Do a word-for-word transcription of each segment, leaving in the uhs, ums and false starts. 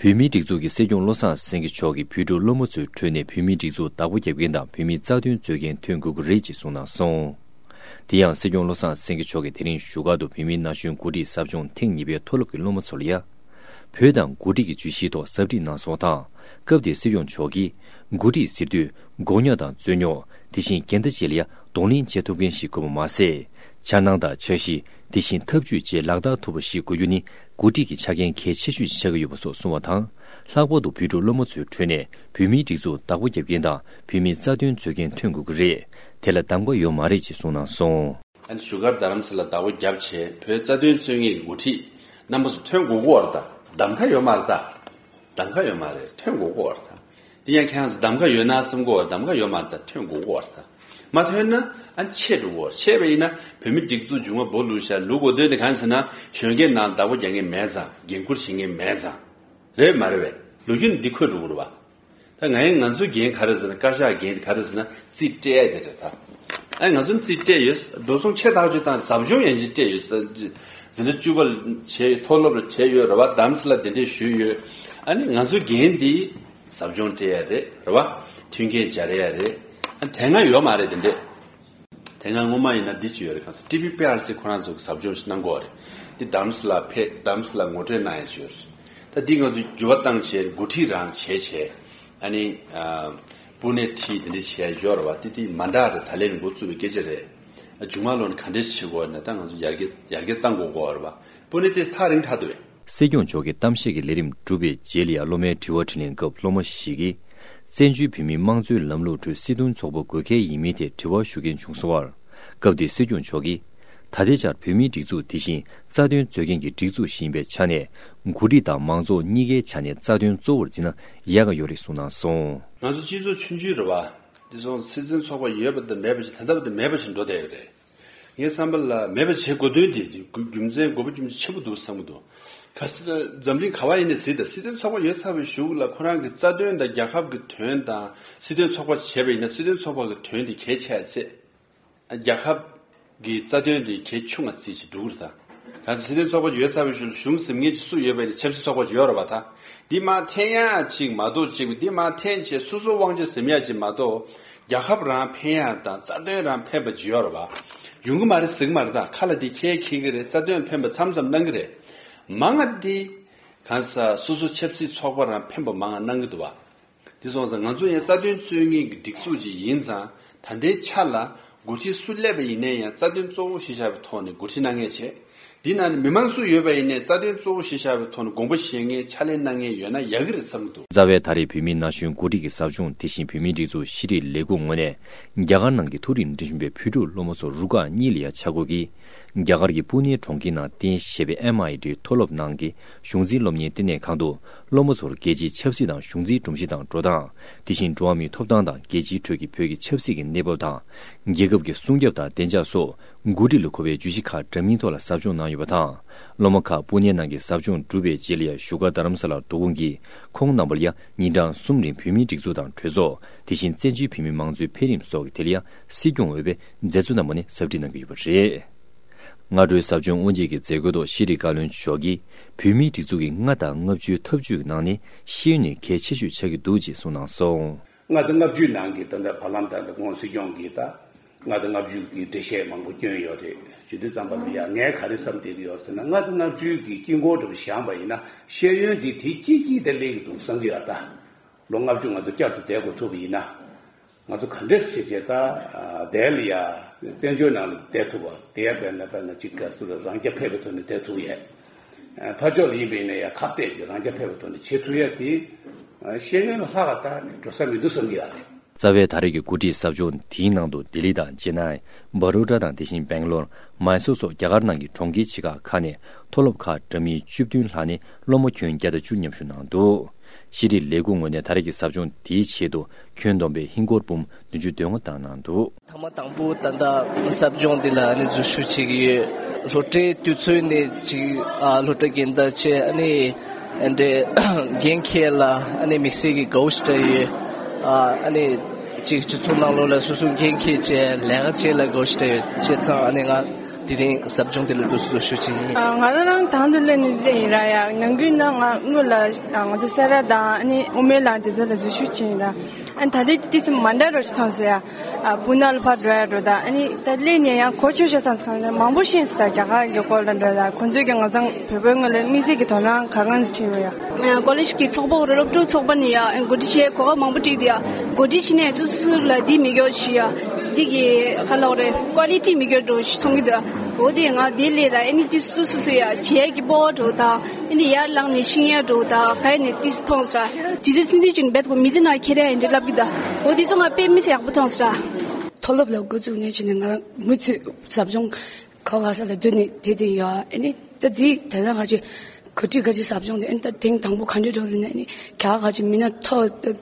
བོད་མིའི་སྒྲིག་འཛུགས་ཀྱི་སྲིད་སྐྱོང་བློ་བཟང་སེང་གེ་མཆོག་གིས་བོད་ཕྲུག་སློབ་མ་ཚོའི་ཁྲོད་ནས་བོད་མིའི་སྒྲིག་འཛུགས་བདག་པོ་རྒྱབ་མཁན་དང་བོད་མིའི་རྩ་དོན་རྩོད་མཁན་ཐོན་དགོས་ཀྱི་རེད་ཅེས་གསུངས་གནང་སོང་། དེ་ཡང་སྲིད་སྐྱོང་བློ་བཟང་སེང་གེ་མཆོག་གིས་དེ་རིང་བཞུགས་སྒར་དུ་བོད་མིའི་ན་གཞོན་འགོ་ཁྲིད་ཟབ་སྦྱོང་ཐེངས་གཉིས་པའི་མཐོ་སློབ་ཀྱི་སློབ་མ་ཚོ་ལ་ཡ། བོད་དང་འགོ་ཁྲིད་ཀྱི་བརྗོད་གཞིའི་ཐོག་ཟབ་ཁྲིད་གནང་སོང་དང་། སྐབས་དེར་སྲིད་སྐྱོང་མཆོག་གིས། འགོ་ཁྲིད་ཟེར་དུས། མགོ་རྙོག་དང་རྩོད་རྙོག་དེ་བཞིན་འགལ་ཟླ་བཅས་ལ་ཡ་གདོང་ལེན་བྱེད་ཐུབ་མཁན་ཞིག་དགོས་པ་མ་ཟད། འཆར་སྣང་དང་འཆར་གཞི། དེ་བཞིན་ཐབས་ཇུས་བཅས་ལག་བསྟར་ཐུབ་པ་ཞིག་དགོས་རྒྱུ་ནི། འགོ་ཁྲིད་ཀྱི་ཆ་རྐྱེན་གལ་ཆེ་ཤོས་ཤིག་ཆགས་ཀྱི་ཡོད་པ་སོགས་གསུངས་པ་དང་། ལྷག་པར་དུ་བོད་ཕྲུག་སློབ་མ་ཚོའི་ཁྲོད་ནས་བོད་མིའི་སྒྲིག་འཛུགས་བདག་པོ་རྒྱབ་མཁན་དང་བོད་མིའི་རྩ་དོན་རྩོད་མཁན་ཐོན་དགོས་ཀྱི་རེད། དེ་ལ་གདམ་ག་ཡོད་མ་རེད་ཅེས་གསུངས་གནང་སོང་། ཨ་ནི་བཞུགས་སྒར་རྡ་རམ་ས་ལ་བདག་པོ་རྒྱབ་བྱས་བོད་རྩ་དོན་རྩོད་མཁན་གྱི་འགོ་ཁྲིད་རྣམ་པ་ཚོ་ཐོན་དགོས་ཀྱི་ཡོད་རེད་ད། གདམ་ག་ཡོད་མ་རེད་ད། གདམ་ག་ཡོད་མ་རེད། ཐོན་དགོས་ཀྱི་ཡོད་རེད་ད། དེ་ཡང་ཁྱེད་རང་ཚོ་གདམ་ག་ཡོད་ན་བསམ་གྱི་ཡོད་རེད། གདམ་ག་ཡོད་མ་རེད་ད། ཐོན་དགོས་ཀྱི་ཡོད་རེད་ད། མ་ཐོན་ན་ཨ་ནི་ཆད་འགྲོ་གི་ཡོད་རེད། ཆད་པ་ཡིན་ན་བོད་མི་སྒྲིག་འཛུགས་མཇུག་མ་སྦོ་ལུག་ཤ་ལུག་གོ་དོན་དེ་གང་ཟེར་ན་གཞོན་སྐྱེས་ནང་བདག་པོ་རྒྱག་མཁན་མེད་ཙང་། འགན་འཁུར་བྱེད་མཁན་མེད་ཙང་། རེད་མ་རེད་པས། ལོ་རྒྱུས་ནི་འདི་འཁོད་འགྲོ་གི་རེད་པ། ད་ང་ཡིན་ང་ཚོའི་འགན་ག་རེ་ཟེར་ན། བཀའ་ཤག་འགན་དེ་ག་རེ་ཟེར་ན་རྩིས་སྤྲད་ཡ་དེ་རེད་ད། ཨ་ང་ཚོ་རྩིས་སྤྲད་ཡོད། འགྲོ་སོང་ཆེ་ཐག་ཆོད་བཏང་། ཟབ་སྦྱོང་ཡན་ཆད་སྤྲད་ཡོད། ས་འཛིན་གྲྭ་བཅུ་པ་ལ་བྱས་ཡོད། མཐོ་སློབ་ལ་བྱས་ཡོད་རེད་པ། རྡ་རམ་ས་ལ་གདན་འདྲེན་ཞུས་ཡོད། ཨ་ནི་ང་ཚོའི་འགན་དེ་ཟབ་སྦྱོང་སྤྲད་ཡ་རེད། རེད་པ། མཐུན་རྐྱེན་སྦྱར་ཡ་རེད། ཨ་དེ་སྔ་ཡོད་མ་རེད་དེ་འདྲས། དེ་སྔ་སྔོན་མ་ཡིན་ན་འདི་ཅིག་ཡོད་རེད། གང་ཟེར་ཊི་བི་པི་ཨར་སི་ཁོ་རང་ཚོ་གི་ཟབ་སྦྱོང་ཞིག་གནང་གི་ཡོད་རེད། འདི་རྡ་རམ་ས་ལ་ཕེབས། རྡ་རམ་ས་ལ་ངོ་སྤྲོད་གནང་ཡ་ཅིག་ཡོད་རེད། ད་འདི་ང་ཚོས་འགྱུར་བ་བཏང་བྱས། འགོ་ཁྲིད་རང་བྱས་བྱས། ཨ་ནི་ཨ་སྤུན་ནས་ཁྲིད་དེ་འདྲ་བྱས་ཡོད་རེད་པ། དེ་དེ་མ་འདྲ་རེད། ད་ལན་འགོ་བཙུགས་པའི་སྐད་ཆ་རེད། ཨ་མཇུག་མ་ལོག་ནས་ག་འདྲས་བྱེད་དགོས་ན་ད་ང་ཚོ་ཡར་རྒྱས་ཡར་རྒྱས་གཏང་དགོས་ཀྱི་ཡོད་རེད་པ། སྤུན་ནས་དེ་ཐག་རིང་དྲགས་འདུག་པས། སྲིད་སྐྱོང་མཆོག་གི་གཏམ་བཤད་ཀྱི་ལས་རིམ་གྲུབ་པའི་རྗེས་ལ་ཡང་སློབ་མའི་དྲི་བ་དྲིས་ལན་སྐབས་སློབ་མ་ཞིག་གིས། བཙན་བྱོལ་བོད་མིའི་དམངས་གཙོའི་ལམ་ལུགས་ཁྲོད་སྲིད་དོན་ཚོགས་པ་དགོས་གལ་ཡིན་མིན་ཐད་དྲི་བ་ཞུ་མཁན་བྱུང་སོང་བར། སྐབས་དེར་སྲིད་སྐྱོང་མཆོག་གིས། ད་ལྟའི་ཆར་བོད་མིའི་སྒྲིག་འཛུགས་དེ་བཞིན་རྩ་དོན་རྩོད་མཁན་གྱི་སྒྲིག་འཛུགས་ཤིག་ཡིན་པའི་ཆ་ནས། འགོ་ཁྲིད་དང་མང་ཚོགས་གཉིས་ཀའི་ཆ་ནས་རྩ་དོན་གཙོ་བོར་འཛིན་ན་ཡག་ག་ཡོད་རེད་གསུངས་གནང་སོང་། ང་ཚོ་སྤྱི་ཚོགས་ཆུང་ཆུང་རེད་པ། དེ་སོང་སྲིད་དོན་ཚོགས་པ་ཡོད་པ་དང་མེད་པ་ཞིག་ད་ལྟ་བར་དུ་མེད་པ་ཞིག་འགྲོ་བསྡད་ཡོད་རེད། ངའི་བསམ་པ་ལ་མེད་པ་བྱེད་དགོས་དོན་དེ་རྒྱུ་མཚན་དགོས་པ་རྒྱུ་མཚན་ཆེན་པོ་འདུག་བསམ་གྱི་འདུག་གལ་སྲིད་འཛམ་གླིང་ག་པར་ཡིན་ནའི་གཟིགས་དང་། སྲིད་དོན་ཚོགས་པ་ཡོད་ཚར་བའི་གཞུག་ལ་ཁོ་རང་གི་རྩ་དོན་དང་རྒྱལ་ཁབ་ཀྱི་དོན་དང་། སྲིད་དོན་ཚོགས་པ་བྱས་པ་ཡིན་ན་སྲིད་དོན་ཚོགས་པ་གི་དོན་དེ་གལ་ཆེ་ཚེ། རྒྱལ་ཁབ་ཀྱི་རྩ་དོན་དེ་གལ་ཆུང་བ་བརྩིས་བྱས་འགྲོ་གི་རེད་ད། གལ་སྲིད་སྲིད་དོན་ཚོགས་པ་ཡོད་ཚར་བའི་གཞུག་ལ་གཞུང་ཟིན་མཁན་ཅིག་སུ་ཡོད་པ་ཡིན་ན་ཆབ་སྲིད་ཚོགས་པ་ཅིག་ཡོད་རེད་པ་ད། འདི་མར་འཐེན་ཡག་ཅིག་མ་གཏོགས་ཅིག་འདི་མར་འཐེན་བྱས་སོ་སོ་དབང་ཆ་ཟིན་ཡག་ཅིག་མ་གཏོགས། རྒྱལ་ཁབ་རང་ཕན་ཡག་དང་རྩ་དོན་རང་ཕན་པ་ཅིག་ཡོད་རེད་པ། ཡོང་གི་མ་རེད་ཟེར་གི་མ་རེད་ད། ཁ་ལ་འདི་ཁྱེད་འཁྱེར་གི་རེད། རྩ་དོན་ཕན་པ་མཚམས་མཚམས་གནང་གི་རེད། མང་ང་འདི་གང་ཟག་སོ་སོ་ཆབ་སྲིད་ཚོགས་པ་རང་ཕན་པ་མང་ང་གནང་གི་འདུག་པ། དེ་སོང་ཙང་ང་ཚོ་ཡང་རྩ་དོན་རྩོད་མཁན་གྱི་སྒྲིག་འཛུགས་ཅིག་ཡིན་ཙང་། ད་ལྟའི་ཆ་ལ་འགོ་ཁྲིད་སུ་སླེབས་པ་ཡིན་ནའི་ཡང་རྩ་དོན་གཙོ་བོ་གཞི་བཞག་པའི་ཐོག་ནས་འགོ་ཁྲིད་གནང་མཁན་བྱས། འདི་ནང་ནས་མི་མང་སུ་ཡོད་པ་ཡིན་ནའི་རྩ་དོན་གཙོ་བོ་གཞི་བཞག་པའི་ཐོག་ནས་དགོངས་པ་བཞེས་མཁན་ཕྱག་ལས་གནང་མཁན་ཡོད་ན་ཡག་གི་རེད་བསམ་གྱི་འདུག་རྩ་བའི་ད་རེས་བོད་མིའི་ན་གཞོན་འགོ་ཁྲིད་ཀྱི་ཟབ་སྦྱོང་དེ་བཞིན་བོད་མིའི་སྒྲིག་འཛུགས་ཤེས་རིག་ལས་ཁུངས་ངོས་ནས་རྒྱ་གར་ནང་གི་མཐོ་རིམ་འགྲིམ་བཞིན་པའི་བོད་ཕྲུག་སློབ་མ་ཚོ་རུ་ཁག་གཉིས་ལ་ཡང་ཆ་བགོས་ཀྱིས། རྒྱ་གར་གྱི་པུ་ནེ་གྲོང་ཁྱེར་ནང་རྟེན་གཞི་བྱས་པའི་ཨེམ་ཨའི་ཊི་མཐོ་སློབ་ནང་གི་གཞུང་འཛིན་སློབ་གཉེར་ལྟེ་གནས་ཁང་དུ། སློབ་མ་ཚོར་རྒྱལ་སྤྱིའི་ཆབ་སྲིད་དང་གཞུང་འཛིན་སྒྲོམ་གཞི་དང་འགྲོ་སྟངས། དེ་བཞིན་འགྲོ་བ་མིའི་ཐོབ་ཐང་དང་རྒྱལ་སྤྱིའི་ཁྲོད་ཀྱི་བོད་ཀྱི་ཆབ་སྲིད་ཀྱི་གནས་བབ་དང་། རྒྱལ་ཁབ་ཀྱི་སྲུང་སྐྱོབ་དང་བདེ་འཇགས་སོགས། འགོ་ཁྲིད་ལ་མཁོ་བའི་བརྗོད་གཞི་ཁག་འདྲ་མིན་ཐོག་ལ་ཟབ་སྦྱོང་གནང་ཡོད་པ་དང་། སློབ་མ་ཁག་པུ་ནེ་ནང་གི་ཟབ་སྦྱོང་གྲུབ་པའི་རྗེས་ལ་ཡང་བཞུགས་སྒར་རྡ་རམ་ས་ལར་བསྡུ་སྐོང་གིས། ཁོང་རྣམ་པ་ལ་ཡང་ཉིན་གྲངས་གསུམ་རིང་བོད་མིའི་སྒྲིག་འཛུགས་དང་གྲོས་ཚོགས། དེ་བཞིན་བཙན་བྱོལ་བོད་མིའི་དམངས་གཙོའི་འཕེལ་རིམ་སོགས་ཀྱི་ཐད་ལ་ཡང་སྲིད་སྐྱོང་འོས་པས་མཛད་གཙོ་རྣམ་པ་ནས་ཟབ་ཁྲིད་གནང་གི་ཡོད་པ་རེད། སྔ་དྲོའི་ཟབ་སྦྱོང་དབུ་འབྱེད་ཀྱི་མཛད་སྒོའི་ཐོག་ཤེས་རིག་བཀའ་བློན་མཆོག་གིས། བོད་མིའི་སྒྲིག་འཛུགས་ཀྱི་ལྔ་དང་ལྔ་བཅུའི་ཐབས་ཇུས་ཀྱི་ནང་ནས་ཤེས་ཡོན་ནི་གལ་ཆེ་ཤོས་ཆགས་ཀྱི་འདུག་ཅེས་གསུངས་གནང་སོང་། ལྔ་དང་ལྔ་བཅུའི་ནང་གི་ད་ལྟ་བར་ལམ་དང་ད་ཁོང་སྲིད་སྐྱོང་གིས་ད་ལྔ་དང་ལྔ་བཅུ་གི་འགྲེལ་བཤད་མང་པོ་བསྐྱོན་ཡོད་རེད། བྱེད་དུས་ཙམ་པ་ལ་ཡང་ངས་ག་རེ་བསམ་བསྡད་ཀྱི་ཡོད་ཟེར་ན། ལྔ་དང་ལྔ་བཅུ་གི་དཀྱིལ་འཁོར་འདྲ་པོ་བཞག་པ་ཡིན་ན། ཤེས་ཡོན་འདི་དེ་གཅིག་གཅིག་དེ་སླེབས་ཀྱི་འདུག་བསམ་གྱི་ཡོད། ད་ལོ་ལྔ་བཅུ་ང་ཚོ་བསྐྱར་དུ་བསྡད་དགོས་ཐུག་པ་ཡིན་ན། ང་ཚོ་ག་འདྲས་བྱས་བྱས་ད་བསྡད་ལ་ཡ། བཙན་བྱོལ་ནང་ལ་བསྡད་ཐུབ་པ་དེ་ཡ། དཔེར་ན་དཔེར་ན་གཅིག་ག་སུ་ལ་རང་རྐྱ་འཕེར་བའི་ཐོག་ནས་བསྡད་ཐུབ་ཡས། ཕར་ཕྱོགས་ལ་ཡིན་པ་ཡིན་ན་ཡ་ཁ་གཏད་དེ་རང་རྐྱ་འཕེར་བའི་ཐོག་ནས་བྱེད་ཐུབ་ཡས་དེ། ཤེས་ཡོན་ལ་ལྷག་ག་ད་འགྲོ་ས་མི་འདུག་བསམ་གྱི་ཡོད་རེད། རྩ་བའི་ད་རེས་ཀྱི་འགོ་ཁྲིད་ཟབ་སྦྱོང་དེའི་ནང་དུ་ལྡི་ལི་དང་ཅེ་ནའི། བྷ་རོ་ཌ་དང་དེ་བཞིན་སྦེང་ལོར། མཱི་སོར་སོགས་རྒྱ་གར་ནང་གི་གྲོང་ཁྱེར་ཆེ་ཁག་ཁག་ནས་མཐོ་སློབ་ཁག་འདྲ་མིན་བཅུ་བདུན་ལྷག་ནས་སློབ་མ་ཁྱོན་བརྒྱ་དང་བཅུ་མཉམ་ཞུགས་གནང་འདུག་ཤེས་རིག་ལས་ཁུངས་ངོས་ནས་ད་རེས་ཀྱི་ཟབ་སྦྱོང་དེའི་ཆེད་དུ་ཁྱོན་བསྡོམས་པའི་ཧིན་སྒོར་འབུམ་བདུན་ཅུ་དོན་ལྔ་བཏང་གནང་འདུག་ཐེངས་མ་དང་པོ་ད་ལྟ་ཟབ་སྦྱོང་འདི་ལ་ནི་འཛུལ་ཞུགས་བྱེད་ཀྱི་ཡོད། སློབ་གྲྭའི་དུས་ཚོད་ནི་ཅིག་ཨ་སློབ་གྲྭ་རྒན་བདག་བྱས། ཨ་ནི་འདྲའི་འགན་འཁྱེར་ལ་ཨ་ནི་དམིགས་བསལ་གྱི་དགའ་བོ་ཞེ་དྲག་ཡོད། ཨ་ནི་ཅིག་སྤྱི་ཚོགས་ནང་ལོགས་ལ་སོ་སོ་འགན་འཁྱེར་བྱས་ལས་ཀ་བྱེད་ལ་དགའ་བོ་ཞེ་དྲག་ཡོད། བྱས་ཙང་ཨ་ནི་ང་ དེ་རིང་ཟབ་སྦྱོང་དེ་ལ་འདུག་སེ་འཛུལ་ཞུགས་བྱས་ཡིན། ང་རང་རང་དང་དུ་ལེན་ནས་ལེན་ཡིན་ར་ཡ། ནང་ཁུལ་ན་ང་དངུལ་ལ་ང་ཚོ་སེ་ར་དང་ཨ་ནི་དབུ་མའི་ལམ་དེ་ཚོ་ལ་འཛུལ་ཞུགས་བྱས་ཡིན་ར། ཨ་ནི་ད་རེས་དེ་སེམས་མ་འདྲ་རོ་ཞིག་མཐོང་སོང་ཡ། སྤུ་ན་ལ་ཕར་འགྲོ་ཡ་འགྲོ་ད་ཨ་ནི་ད་ལེན་ནས་ཡང་གོ་ཆོད་ཤོག་བསམ་སོང་། མང་པོ་ཤེས་སོང་ད་རྒྱ་གར་གྱི་སྐོར་ལ་འགྲོ་ད་ཁོང་ཚོས་ཀྱི་ང་ཚང་བོད་པའི་ངོས་ལ་དམིགས་བསལ་གྱི་དོ་སྣང་ག་གང་ཞིག་བྱས་ཡོད་ཡ། ཀོ་ལེཇ་གི་ཚོགས་པ་རེད། སློབ་ཕྲུག་ཚོགས་པ་ནས་ཡ་འགོ་ཁྲིད་བྱས་གོ་སྐབས་མང་པོ་བསྒྲིགས་ཏེ་ཡ། འགོ་ཁྲིད་བྱས་ནས་སོ་སོ་ལ་འདི་མི་སྐྱོ་ཞིག་ཡ། འདི་གི་ག་ལབ་རེད། ཀོ་ལི་ཊི་མི་སྐྱོ་འགྲོ་ཞིག་མཐོང་གི་འདུག་འོ་དེ་ང་དེ་ལས་ར་ཨ་ནི་ཏི་སོ་སོ་སོ་ཡ་བྱེད་ཡ་གི་སྤོབས་པ་འགྲོ་ད་ཨ་ནི་ཡར་ལངས་ནས་ཤེས་ཡ་འགྲོ་ད་ག་ཡ་ནས་ཏི་སི་མཐོང་ས་ར། དུས་ཚོད་ཐུང་ཐུང་ཅིག་ནས་རྦད་ཁོ་མི་ཚེ་ནང་ཁྱེར་ཡ་ཡིན་འདྲ་ལབ་གི་འདུག་འོ་དེ་ཚོ་ང་དཔེ་མི་སྲིད་ཡག་པོ་མཐོང་ས་ར། མཐོ་སློབ་ལ་འགོ་བཙུགས་ནས་བྱས་ནས་ང་རང་མུ་མཐུད་ཟབ་སྦྱོང་ག་ག་ས་ལ་བསྡུ་ནས་དེ་དེ་ཡོད། ཨ་ནི་ད་དེ་དེ་ན་ང་ཅིག་གོ་སྒྲིག་ག་ཅིག་ཟབ་སྦྱོང་དེ་ཨ་ནི་ད་ཐེངས་དང་པོ་ག་འདྲ་འགྲོ་ལ་ནི་ཨ་ནི་ག་ག་ཅིག་མི་སྣ་མཐོ་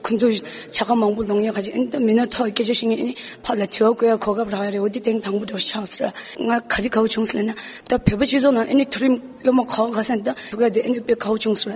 ཁོང་ཚོ་བྱ་དགའ་མང་པོ་ལོངས་ཡ་ག་ཅིག་ཨ་ནི་ད་མི་སྣ་མཐོ་སྐད་ཆ་བཤད་མཁན་ཨ་ནི་ཕར་ལ་དྲི་བ་བཀོད་ཡ་གོ་སྐབས་རག་ཡ་རེད། འོ་དེ་ཐེངས་དང་པོ་འགྲོ་ཆགས་ས་ར། ང་ག་རེ་དགའ་བོ་བྱུང་ས་ལབ་ན་ད་བོད་པ་སྤྱི་ཚོགས་ནང་ཨ་ནི་མཐོ་རིམ་སློབ་མ་ག་ག་ས་ནས་ད་བོད་པ་དེ་ཨ་ནི་དཔེ་དགའ་བོ་བྱུང་ས་ར།